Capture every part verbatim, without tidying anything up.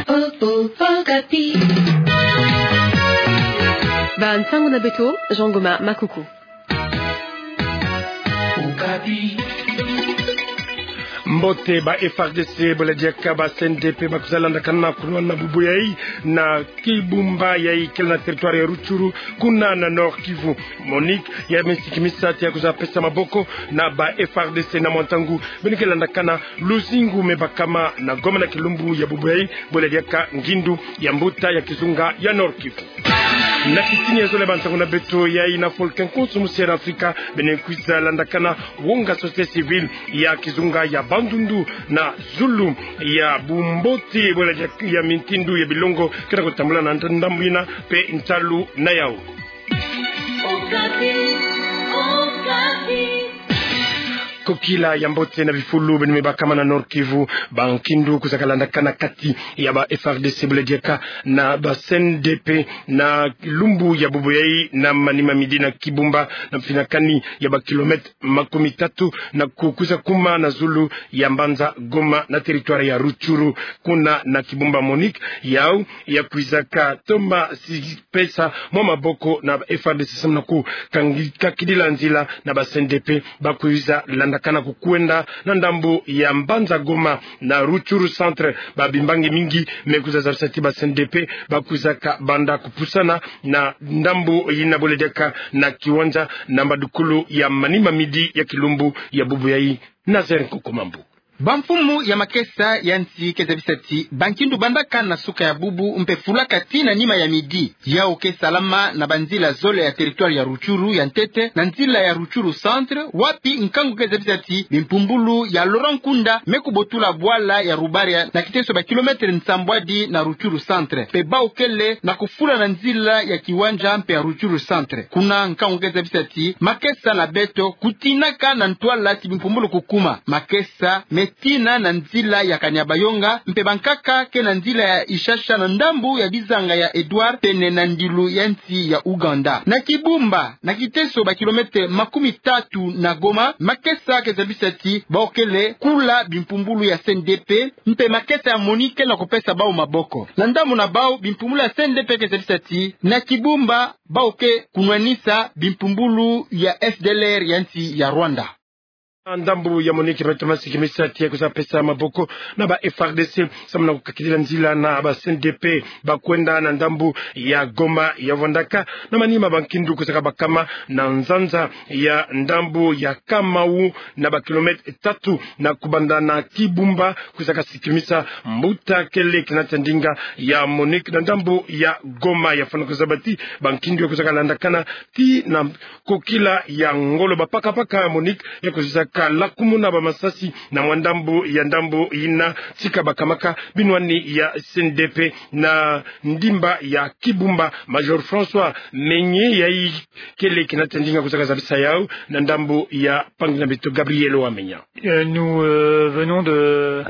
Oh, oh, Okapi. Ba nsangu na beto, Jean Ngoma Makuku. Mbote. Ba F R D C bole diaka ba C N D P bakwiza landakana kunwana bubu yayi na Kibumba yayi kele na territoire ya Rutshuru, kuna na Nord-Kivu. MONUC ya misi kimisa ti ya kwiza pesa maboko na ba F R D C na mwa ntangu beno ke landakana luzingu me bakama na Goma na kilumbu ya bubu yayi bole diaka ngindu ya mbuta ya kizunga ya Nord-Kivu. Na kitini ya zole ba nsangu na beto yayi na folke nkonso musi ya Afrika, beno kwiza landakana wonga société civile ya kizunga ya Bandundu na zulu ya bumbote bole diaka ya mintindu ya bilongo ke na kutambula na ndambu yina mpe ntalu na yawu. Okapi, Okapi. Kokila ya mbote na bifulu beno me bakama na Nord-Kivu, bankindu kwiza kalandakana kati ya ba F R D C bole diaka na ba C N D P na lumbu ya bubu yayi na manima midi na Kibumba, na mfinakani ya ba kilomètre makumi tatu, na kukwiza kuma na zulu ya mbanza Goma na territoire ya Rutshuru, kuna na Kibumba. MONUC yawu ya kwiza katoma si pesa mwa maboko na F R D C samu na ku kangi-, kakidila nzila na ba C N D P bakwiza landakana kukwenda na ndambu ya mbanza Goma na Rutshuru centre. Ba bimbangi mingi me kwiza zabisa ti ba C N D P bakwiza kabanda kupusana na ndambu yina bole diaka na kiwanja na mbadukulu ya manima midi ya kilumbu ya bubu yayi. Nazaire Nkokomambu. Bamfumu ya makesa ya nsi ke zabisa ti bankindu bandaka na suka ya bubu mpe fulaka tii na nima ya midi. Yawu ke salama na banzila zole ya territoire ya Rutshuru ya ntete na nzila ya Rutshuru centre, wapi nkangu ke zabisa ti bimpumbulu ya Laurent Nkunda me kubotula bwala ya Rubaria na kiteso ba kilomètre nsambwadi na Rutshuru centre. Mpe bawu kele na kufula na nzila ya kiwanja mpe ya Rutshuru centre. Kuna nkangu ke zabisa ti makesa na beto kutinaka na ntwala ti bimpumbulu kukuma. Makesa me tina na nzila ya Kanyabayonga, mpe bankaka ke na nzila ya Ishasha na ndambu ya bizanga ya Edouard, pene na ndilu ya nsi ya Ouganda. Na Kibumba, na kiteso ba kilomètre makumi tatu na Goma, makesa ke zabisa ti bawu kele kula bimpumbulu ya C N D P, mpe makesa ya MONUC ke na kupesa bawu maboko. Na ndambu na bawu, bimpumbulu ya C N D P ke zabisa ti na Kibumba bawu ke kunwanisa bimpumbulu ya F D L R ya nsi ya Rwanda. Ndambu ya MONUC beto masi kimisa ti ya kwiza pesa maboko na ba F R D C samu na kukakidila nzila na ba C N D P bakwenda na ndambu ya Goma ya vwandaka. Na manima bankindu kwiza kabakama na nzanza ya ndambu ya Kamau na ba kilomètre tatu na kubanda na Kibumba, kwiza kasikimisa mbuta kele kina tia ndinga ya MONUC na ndambu ya Goma. Ya fwana kuzaba ti bankindu ya kwiza kalandakana tii na kokila ya ngolo. Bapakapaka ya MONUC ya kwiza kalakumuna bamasasi na mwa ndambu ya ndambu yina tika bakamaka binwani ya C N D P na ndimba ya Kibumba. Major François Menye yayi kele kina tia ndinga kwiza kazabisa yawu na ndambu ya mpangi na beto Gabriel Wamenya. Euh, nous, euh, venons de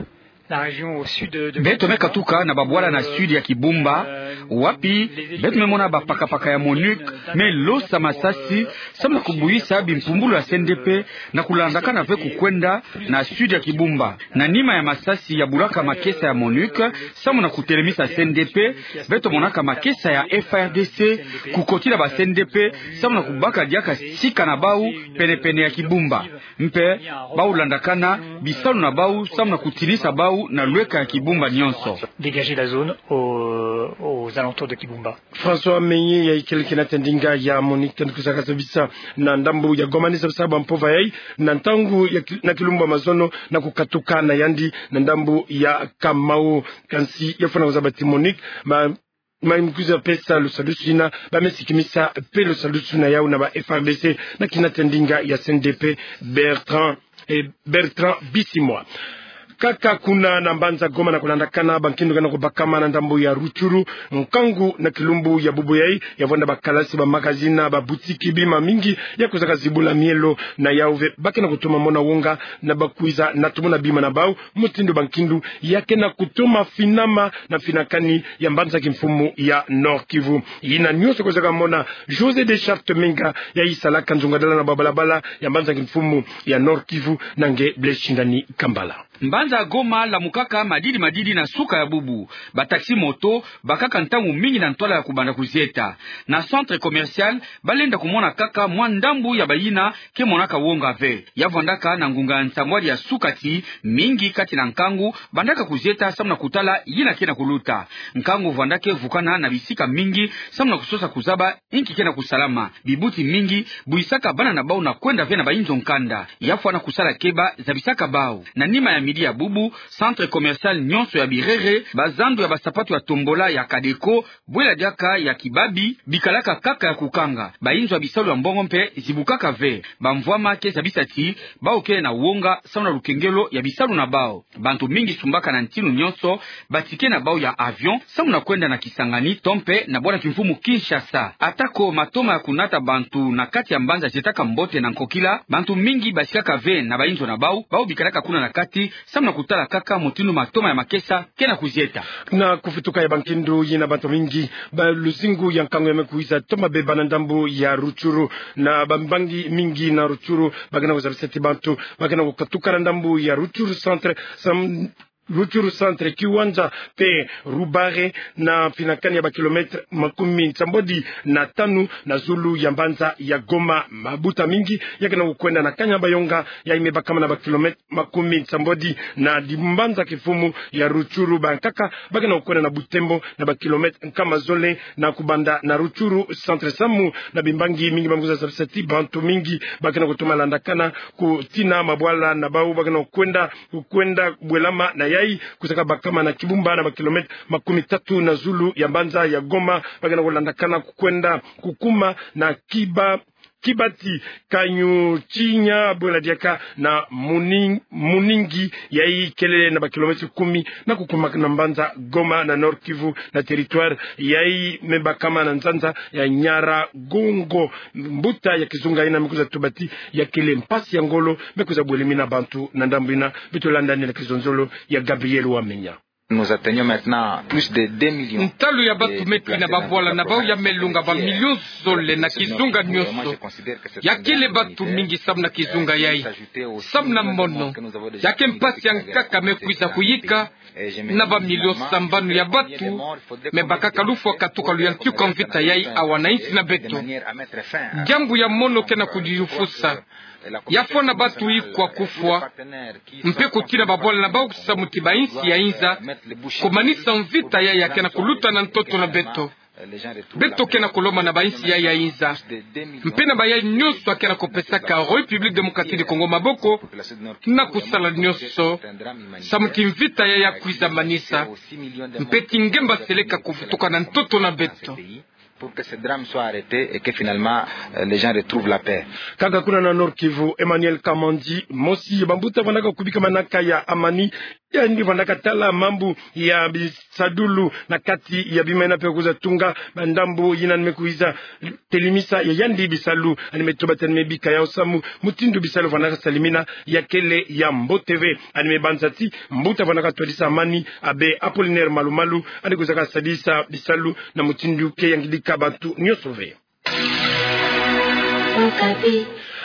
la région au sud de, de Beto me katuka na babwala na sud ya Kibumba, wapi beto me mona bapakapaka ya MONUC me losa masasi samu na kubuyisa bimpumbulu ya C N D P na kulandakana ve kukwenda na sud ya Kibumba. Na nima ya masasi ya bulaka makesa ya MONUC samu na kutelemisa C N D P, beto monaka makesa ya F R D C kukotila ba C N D P samu na kubaka diaka sika na bawu penepene ya Kibumba. Mpe bawu landakana bisalu na bawu samu na kutinisa bawu na lweka ya Kibumba nyonso. Dégager la zone aux, aux alentours de Kibumba. François Menye yayi kele kina tia ndinga ya MONUC tandi kwiza kazabisa na ndambu ya Goma ni zabisa bampova yayi na ntangu ya ki-, na kilumbu ya mazono na kukatuka na yandi na ndambu ya Kamau. Kansi ya fwana kuzaba ti MONUC ma, ma me kwiza pesa lusadusu yina, ba me sikimisa mpe lusadusu na yawu na ba F R D C na kina tia ndinga ya C N D P, Bertrand, eh, Bertrand Bisimwa. Kaka kuna na mbanza Goma na kulandakana bankindu ke na kubakama na ndambu ya Rutshuru, nkangu na kilumbu ya bubu yayi, ya vwanda bakalasi, bamagazini, babutiki, bima mingi ya kwiza kazibula mielo na yawu ve ba ke na kutoma mona wonga na ba kwiza na tumuna bima na bawu, mutindu bankindu ya ke na kutoma finama na finakani ya mbanza kimfumu ya Nord-Kivu. Yina nyonso kwiza kamona Josée Deschartes Menga yayi salaka nzungadala na babalabala ya mbanza kimfumu ya Nord-Kivu na nge Blaise Shindani Kambala. Mbanza Goma lamukaka madidi madidi na suka ya bubu. Ba taxi moto bakaka ntangu mingi na ntwala ya kubanda kuzieta. Na centre commercial, balenda kumona kaka mwa ndambu ya bayina ke monaka wonga ve. Ya vwandaka na ngunga ya nsambwadi ya suka ti mingi kati na nkangu bandaka kuzieta samu na kutala yina ke na kuluta. Nkangu vwandaka vukana na bisika mingi samu na kusosa kuzaba inki ke na kusalama. Bibuti mingi buyisaka bana na bau na kwenda ve na bainzo nkanda. Ya fwana kusala keba, zabisaka bau. Na nima ya midi ya bubu, centre commercial nyonso ya Birere, bazandu ya basapatu ya tombola ya Kadeco, bwela diaka ya Kibabi, bikalaka kaka ya kukanga. Bainzo ya bisalu ya mbongo mpe zibukaka ve. Bamvwama ke zabisa ti bau ke na wonga samu na lukengelo ya bisalu na bau. Bantu mingi sumbaka na ntinu nyonso ba ticket na bau ya avion samu na kwenda na Kisangani to mpe na bwala kimfumu Kinshasa. Atako matoma ya kunata bantu na kati ya mbanza zietaka mbote na nkokila, bantu mingi basikaka ve na bainzo na bau, bau bikalaka kuna na kati samu na kutala kaka mutindu matoma ya makesa ke na kuzieta. Na kufituka ya bankindu yina, bantu mingi ba luzingu ya nkangu ya me kwiza toma beba na ndambu ya Rutshuru. Na bambangi mingi na Rutshuru ba ke na kuzabisa ti bantu ba ke na kukatuka na ndambu ya Rutshuru centre, sam-, Rutshuru centre, Kiwanja mpe Rubare, na finakani ya ba kilomètre makumi nsambwadi na tanu na zulu ya mbanza ya Goma. Mabuta mingi ya ke na kukwenda na Kanyabayonga, yayi me bakama na ba kilomètre makumi nsambwadi na dimbanza kimfumu ya Rutshuru. Bankaka ba ke na kukwenda na Butembo na ba kilomètre nkama zole na kubanda na Rutshuru centre samu na bimbangi mingi ba me kwiza zabisa ti bantu mingi ba ke na kutuma landakana kutina mabwala na bau ba ke na kukwenda, kukwenda bwelama na yayi, kuzaka bakama na Kibumba na ba kilomètre makumi tatu na zulu ya mbanza ya Goma. Ba ke na kulandakana kukwenda kukuma na Kiba-, Kibati, Kanyaruchinya, bwela diaka na Muning-, Muningi, yayi kele na ba kilomètre kumi na kukuma na mbanza Goma na Nord-Kivu, na territoire yayi me bakama na nzanza ya Nyiragongo. Mbuta ya kizunga yina me kwiza tuba ti ya kele mpasi ya ngolo me kwiza bwelemi na bantu na ndambu yina. Beto landa ni na kizonzolo ya Gabriel Wamenya. Nous atteignons maintenant plus de deux millions. Ntalu ya bantu me kwina babwala na bau ya me lunga ba millions zole na kizunga nyonso. Ya kele bantu mingi samu na kizunga yayi. Samu na mono, ya ke mpasi ya nkaka me kwiza kuyika na ba millions sambanu ya bantu me bakaka lufwa katuka luyantika mvita yayi awa na insi na beto. Diambu ya mono ke na kudilufusa. Ya fwana bantu ikwa kufwa mpe kutina babwala na bau samu ti ba insi ya inza kumanisa mvita yayi ya ke na kuluta na ntoto na beto. Beto ke na kulomba na ba insi yayi ya inza mpe na bayayi nyonso ya ke na kupesaka République Démocratique du Congo maboko na kusala nyonso samu ti mvita yayi ya kwiza manisa mpe ti ngemba seleka kuvutuka na ntoto na beto. Pour que ce drame soit arrêté et que finalement, euh, les gens retrouvent la paix. Kaka kuna na Nord-Kivu, Emmanuel Kamandi, mosi ya bambuta vandaka kubika manaka ya Amani, yandi vandaka tala mambu ya bisadulu na kati ya bima yina mpe kwiza tunga ba ndambu yina yandi me kwiza telimisa ya yandi bisalu. Yandi me tuba ti yandi me bika yau samu mutindu bisalu vandaka salimina ya kele ya mbote ve. Yandi me banza ti mbuta vandaka twadisa Amani, Abbé Apollinaire Malumalu, yandi kwizaka sadisa bisalu na mutindu ke yangidika bantu nyonso ve.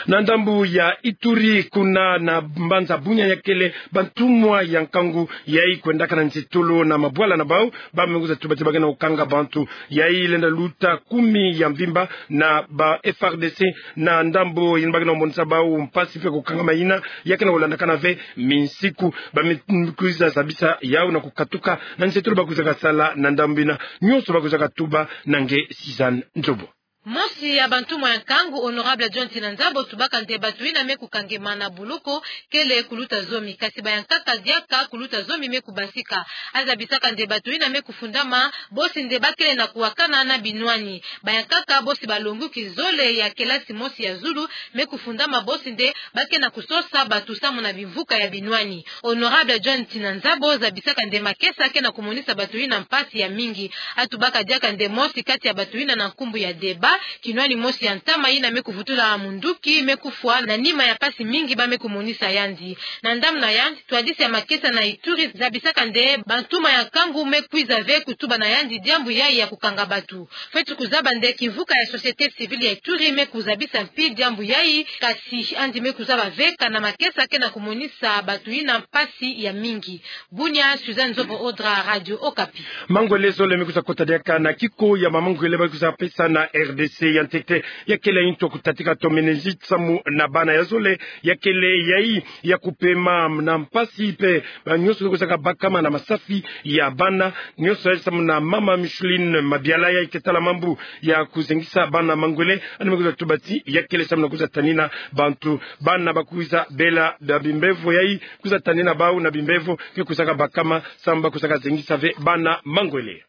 Na ndambu ya Ituri, kuna na mbanza Bunia, ya kele bantumwa ya nkangu yayi kwendaka na nsitulu na mabwala na bau, ba me kwiza tuba ti ba ke na kukanga bantu. Yayi lenda luta kumi ya mvimba na ba F A R D C na ndambu yina ba ke na kumonisa bau mpasi mpe kukangama yina ya ke na kulandakana ve minsiku. Ba me kwiza zabisa yau na kukatuka na nsitulu ba kwizaka sala na ndambu yina. Nyonso ba kwizaka tuba na nge Suzanne Nzobo. Mosi ya bantumwa ya nkangu, Honorable John Tina Nzabo, tubaka nde bantu yina me kukangema na boloko kele kuluta zomi, kasi bayankaka diaka kuluta zomi me kubasika. Azabisaka nde bantu yina me kufundama bosi nde ba kele na kuwakana na binwani. Bayankaka bosi balonguki zole ya kelasi mosi ya zulu me kufundama bosi nde ba ke na kusosa bantu samu na bimvuka ya binwani. Honorable John Tina Nzabo zabisaka nde makesa ke na kumonisa bantu yina mpasi ya mingi. Atubaka diaka nde mosi kati ya bantu yina na nkumbu ya Deba Kinwani mosi ya ntama yina me kuvutula munduki me kufwa na nima ya mpasi mingi ba me kumonisa yandi. Na ndambu na yandi, ntwadisi ya makesa na Ituri zabisaka nde bantuma ya nkangu me kwiza ve kutuba na yandi diambu yayi ya kukanga batu. Fweti kuzaba nde kimvuka ya société civile ya Ituri me kuzabisa mpi diambu yayi, kasi yandi me kuzaba ve kana makesa ke na kumonisa batu yina mpasi ya mingi. Bunia, Suzanne Zobo Odra, Radio Okapi. Mangwele zole me kwiza kota diaka na kiko ya mamangwele ba kwiza pesa na R D C. Ya ntete, ya kele nto kutatika to meningite samu na bana ya zole, ya kele yayi ya kupema na mpasi mpe ba nyonso kwizaka bakama na masafi ya bana nyonso yayi. Samu na mama Micheline Mabiala yayi ke tala mambu ya kuzengisa bana mangwele, yandi me kwiza tuba ti ya kele samu na kwiza tanina bantu, bana ba kwiza bela na bimbevo yayi, kwiza tanina bau na bimbevo ke kwizaka bakama samu ba kwizaka zengisa ve bana mangwele.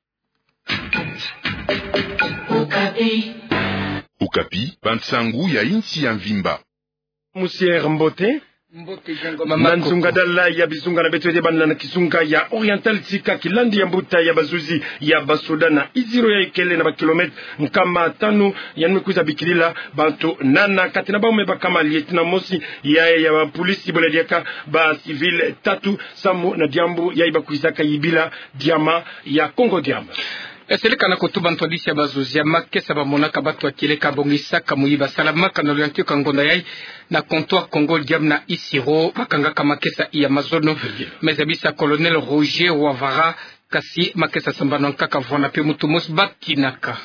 Okapi, bansangu ya insi ya mvimba. Monsieur, mbote. Mbote, Jean Ngoma Makoko. Na nzunga dala ya bizunga na beto, ete bana na kizunga ya Oriental, tika kilandi ya mbuta ya bazuzi ya basoda na Iziro yayi kele na ba kilomètre nkama tanu, yandi me kwiza bikilila bantu nana, kati na bau me bakama lieutenant mosi ya, ya bapolisi, bole diaka ba civil tatu, samu na diambu yayi ba kwizaka yibila diamant ya Congo Diamant. Esele kana kutuba ntwadisi ya bazuzi ya makesa ba monaka batu ya kieleka bongisaka muyibi salamaka na luyantika ngonda yayi na comptoir Congo Diamant na Isiro, ba kangaka makesa ya mazono. Me zabisa Colonel Roger Wavara, kasi makesa sambanu ya nkaka vwanda mpe muntu mosi ba kinaka.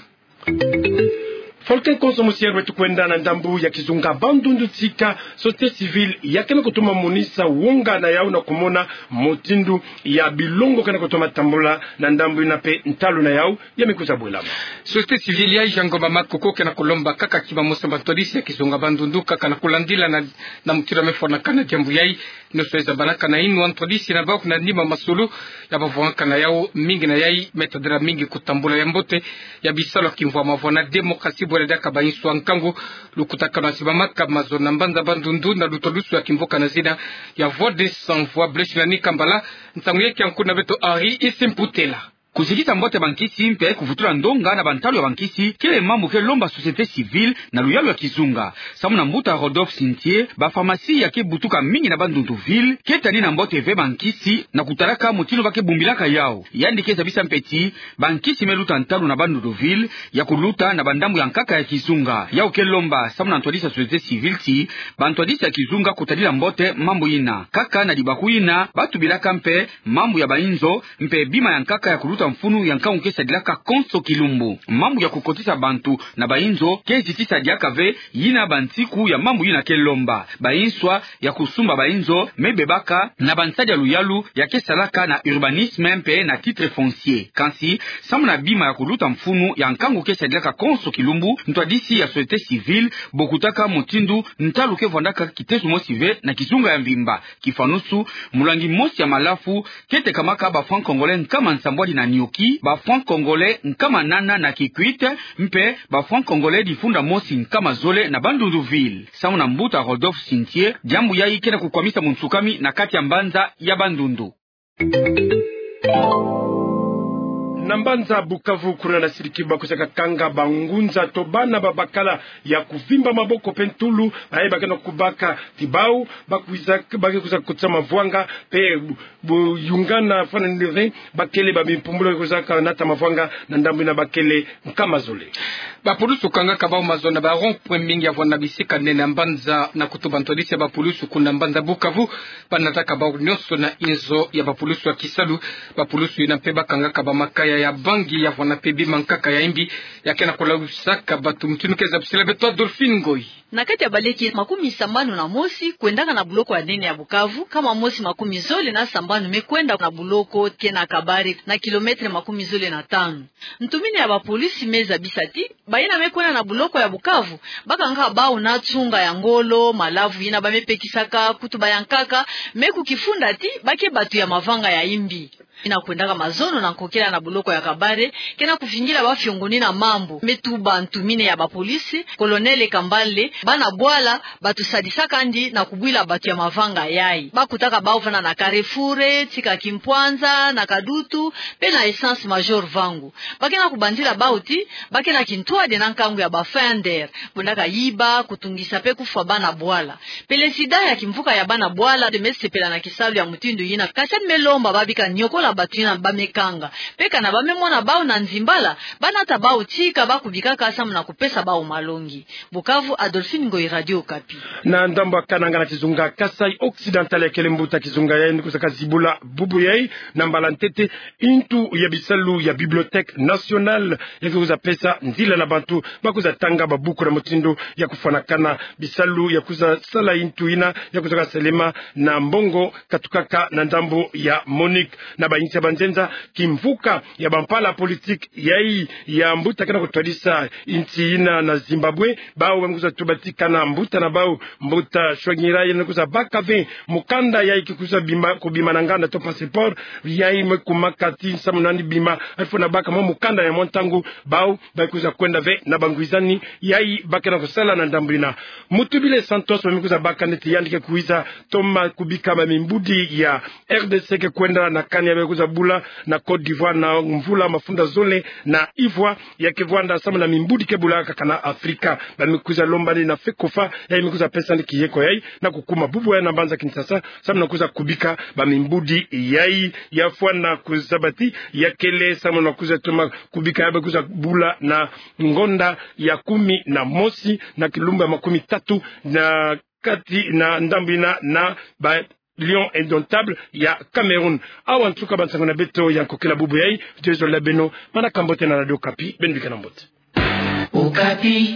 Folke nkonso, monsieur, beto kwenda na ndambu ya kizunga Bandundu, tika société civile ya ke na kutoma monisa wonga na yau na kumona mutindu ya bilongo ke na kutoma tambula na ndambu yina mpe ntalu na yau ya me kwiza bwelama. Société civile yayi, Jean Ngoma Makoko, ke na kulomba kaka kima mosi na bantwadisi ya kizunga Bandundu kaka na kulandila na, na mutindu ya me fwanaka na diambu yayi. Nyonso yayi zabanaka na yinwa ntwadisi na bau na nima masolo ya ba vwangaka na yau, mingi na yayi me tadila mingi kutambula ya mbote ya bisalu ya kimvwama vwa na démocratie, bwele diaka ba insu ya nkangu. Lukutakanu ya sibamaka mazono na mbanza Bandundu na lutalusu ya kimvuka na zina ya Voix des Sans Voix. Blaise Nani Kambala, nsangu yayi kia nku na beto Henri Isimputela. Kuzikisa mbote bankisi mpe kuvutula ndonga na bantalu ya bankisi kele mambu ke lomba société civile na luyalu ya kizunga. Samu na mbuta Rodolphe Sintie, ba pharmacie ya ke butuka mingi na Bandundu ville ke tanina mbote ve bankisi na kutalaka mutindu ba ke bumbilaka yau. Yandi ke zabisa mpe ti bankisi me luta ntalu na Bandundu ville ya kuluta na bandambu ya nkaka ya kizunga. Yau ke lomba, samu na ntwadisi ya société civile, ti bantwadisi ya kizunga kutadila mbote mambu yina. Kaka na dibaku yina ba tubilaka mpe mambu ya ba inzo mpe bima ya nkaka ya kuluta mfunu ya nkangu ke sadilaka konso kilumbu. Mambu ya kukotisa bantu na ba inzo ke zitisa diaka ve, yina bansiku ya mambu yina ke lomba. Ba inswa ya kusumba ba inzo me bebaka na bansadi ya luyalu ya ke salaka na urbanisme mpe na titre foncier. Kansi, samu na bima ya kuluta mfunu ya nkangu ke sadilaka konso kilumbu, ntwadisi ya société civile bokutaka mutindu ntalu ke vwandaka kiteso mosi ve na kizunga ya mvimba. Kifanusu, mulangi mosi ya malafu ke tekamaka ba francs congolais nkama nsambwadi na nioki, ba francs congolais nkama nana na Kikwit, mpe ba francs congolais difunda mosi nkama zole na Bandundu ville. Samu na mbuta Rodolphe Sintie, diambu yayi ke na kukwamisa munsukami na kati ya mbanza ya Bandundu. Na mbanza Bukavu, kuna na siriki ba kwizaka kanga bangunza to bana babakala ya kuvimba maboko mpe ntulu, baye ba ke na kubaka ti bau ba kwiza, ba ke kwiza kotisa mavwanga mpe bu-, buyungana fana nire, ba kele ba bimpumbulu kwizaka nata mavwanga na ndambu yina ba kele nkama zole. Bapulusu kangaka bau mazono na ba rond-point mingi ya vwanda na bisika nene ya mbanza. Na kutuba ntwadisi ya bapulusu kuna mbanza Bukavu, ba nataka bau nyonso na inzo ya bapulusu ya kisalu. Bapulusu yina mpe ba kangaka bamakaya ya bangi ya vwanda mpe bima nkaka ya imbi ya ke na kulawisaka batu. Mutindu ke zabisila beto Adolphine Ngoyi. Na kati ya baleke makumi sambanu na mosi kwendaka na buloko ya nene ya Bukavu, nkama mosi makumi zole na sambanu me kwenda na buloko ke na Kabare, na kilomètre makumi zole na tanu. Ntumini ya bapolisi me zabisa ti bayina me kwenda na buloko ya Bukavu ba kangaka bau na nsunga ya ngolo, malavu yina ba me pekisaka, kutu ba yankaka, me kukifunda ti ba ke batu ya mavanga ya imbi. Ina kwendaka mazono na nkokela na boloko ya Kabare, ke na kuvingila bafiongonina mambu, me tuba ntu mine ya bapolisi, Colonel Kambale, bana bwala batusadisaka ndi na kubwila batu ya mavanga yayi. Bakutaka bau vana na Carrefour, tika Kimpwanza, na Kadutu, pe na Essence Major Vangu. Ba ke na kubanzila bau ti ba ke na kintwadi na nkangu ya ba Fender, kwendaka yiba, kutungisa pe kufwa bana bwala. Pelesida ya kimvuka ya bana bwala de me sepela na kisalu ya mutindu yina, kasi de me lomba ba bika niokola batu yina ba me kanga. Pe kana ba me mona bau na nzimbala, ba nata bau tika ba kubikaka samu na kupesa bau malongi. Bukavu, Adolphine Ngoyi, Radio Okapi. Na ndambu ya kananga na kizunga Kasaï Occidental, ya kele mbuta kizunga yayi ni kwiza kazibula bubu yayi, na mbala ntete, intu ya bisalu ya Bibliothèque Nationale ya ke kwiza pesa nzila na bantu ba kwiza tanga babuku na mutindu ya kufwanakana. Bisalu ya kwiza sala intu yina ya kwiza kasalema na mbongo katukaka na ndambu ya MONUC. Na bayinsi ya banzenza, kimvuka ya bampala politique yayi ya mbuta ke na kutwadisa insi yina na Zimbabwe, bau ba me kwiza tuba ti kana mbuta na bau, mbuta Tsvangirai, yina kwiza baka ve mukanda yayi ke kwiza bima, kubima na nganda to passeport, yayi me kumaka ti samu na ni bima, il faut na baka mwa mukanda ya mwa ntangu, bau ba kwiza kwenda ve na bangwizani yayi ba ke na kusala na ndambu yina. Mutuobile Santos, ba me kwiza baka nde ti yandi ke kwiza toma kubika bamimbudi ya R D C ke kwenda na kani ya ba kwiza bula na Côte d'Ivoire na mvula mafunda zole na Ivoire, ya ke vwanda samu na mimbudi ke bulaka kana Afrika. Ba me kwiza lomba nde na FECOFA, yayi me kwiza pesa nde kiyeko yayi na kukuma bubu yayi na mbanza Kinshasa, samu na kwiza kubika bamimbudi yayi. Ya fwana kuzaba ti ya kele samu na kwiza toma kubika ya ba kwiza bula na ngonda ya kumi na mosi na kilumbu ya makumi tatu na kati na ndambu yina na ba Lions Indomptables ya Cameroun. Awa nsuka bansangu na beto ya nkokila bubu yayi. Nzolele beno, manaka mbote na Radio Okapi, beno bikana mbote. Okapi.